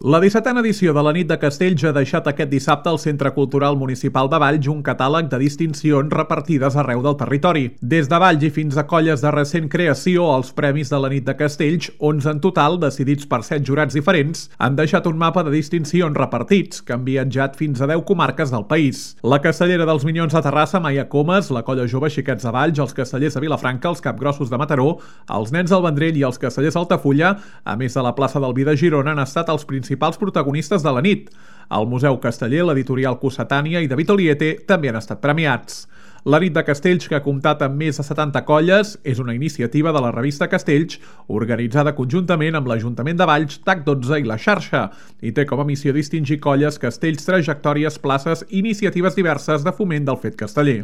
La 17a edició de la Nit de Castells ha deixat aquest dissabte al Centre Cultural Municipal de Valls un catàleg de distincions repartides arreu del territori. Des de Valls i fins a colles de recent creació, els premis de la Nit de Castells, 11 en total, decidits per 7 jurats diferents, han deixat un mapa de distincions repartits que han viatjat fins a 10 comarques del país. La Castellera dels Minyons de Terrassa, Maia Comas, la Colla Jove Xiquets de Valls, els Castellers de Vilafranca, els Capgrossos de Mataró, els Nens del Vendrell i els Castellers d'Altafulla, a més de la plaça del Vi de Girona, han estat els principals protagonistes de la nit. El Museu Casteller, l'editorial Cossetània i David Oliete també han estat premiats. La Nit de Castells, que ha comptat amb més de 70 colles, és una iniciativa de la revista Castells, organitzada conjuntament amb l'Ajuntament de Valls, TAC12 i la xarxa, i té com a missió distingir colles, castells, trajectòries, places i iniciatives diverses de foment del fet casteller.